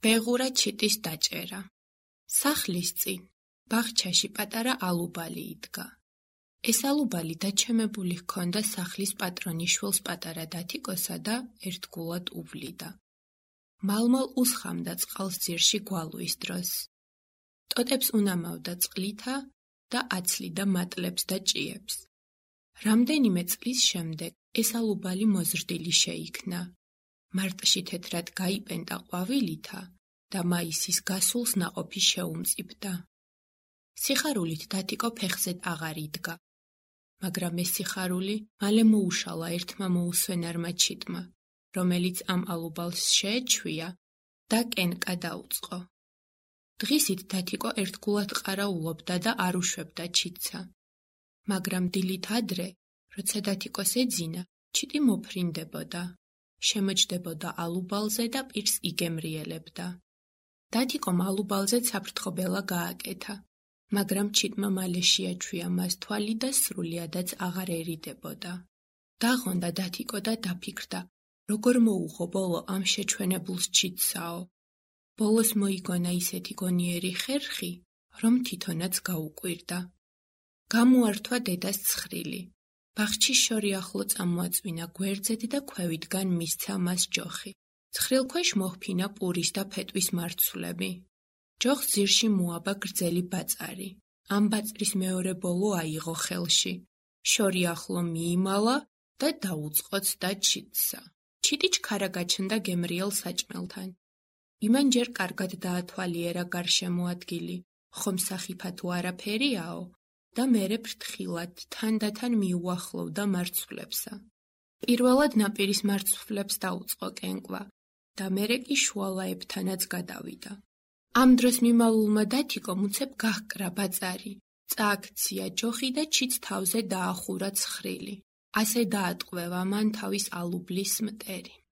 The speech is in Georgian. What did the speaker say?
ბეღურა ჩიტის დაჭერა. სახლის წინ, ბაღჩაში პატარა ალუბალი იდგა. ეს ალუბალი დაჩემებული ჰქონდა სახლის პატრონიშვილს პატარა დათიკოსა და ერთგულად უვლიდა. მალმალ უსხამდა წყალს ძირში გვალვის დროს. ტოტებს უნამავდა წყლითა და აცლიდა მატლებს და ჭიებს. რამდენიმე წლის შემდეგ ეს ალუბალი მოზრდილი შეიქნა. მარტში თეთრად გაიპენდა ყვავილითა და მაისის გასულს ნაყოფი შეუმწიფდა. სიხარულით დათიკო ფეხზედ აღარ იდგა. მაგრამ ეს სიხარული მალე მოუშალა ერთმა მოუსვენარმა ჩიტმა, რომელიც ამ ალუბალს შეეჩვია და კენკა დაუწყო. დღისით დათიკო ერთგულად ყარაულობდა და არ უშვებდა ჩიტსა. მაგრამ დილით ადრე, როცა დათიკოს ეძინა, ჩიტი მოფრინდებოდა, შემოჯდებოდა ალუბალზე და პირს იგემრიელებდა. დათიკომ ალუბალზე საფრთხობელა გააკეთა, მაგრამ ჩიტმა მალე შეაჩვია მას თვალი და სრულიადაც აღარ ერიდებოდა. დაღონდა დათიკო და დაფიქრდა, როგორ მოუღო ბოლო ამ შეჩვენებულს ჩიტსაო. ბოლოს მოიგონა ისეთი გონიერი ხერხი, რომ თვითონაც გაუკვირდა. გამოართვა დედას ცხრილი. ბაღჩი შორი ახლო წამოაწვინა გვერდზედ და ქვევიდგან მისცა მას ჯოხი. ცხრილქვეშ მოჰფინა პურის და ფეტვის მარცვლები. ჯოხს ძირში მოაბა გრძელი ბაწარი. ამ ბაწრის მეორე ბოლო აიღო ხელში. შორი ახლო მიიმალა და დაუწყოცდა ჩიტსა. ჩიტი ჩქარა გაჩნდა გემრიელ საჭმელთან. იმან ჯერ კარგად დაათვალიერა გარშემო ადგილი, ხომ სახიფა თუ არაფერიაო და მერე ფრთხილად თანდათან მიუახლოვდა მარცვლებსა. პირველად ნაპირის მარცვლებს დაუწყო კენკვა და მერე კი შუალაებთანაც გადავიდა. ამ დროს მიმალულმა დათიკომ უცებ გაჰკრა ბაწარი, წააქცია ჯოხი და ჩიტს თავზე დაახურა ცხრილი. ასე დაატყვევა მან თავის ალუბლის მტერი.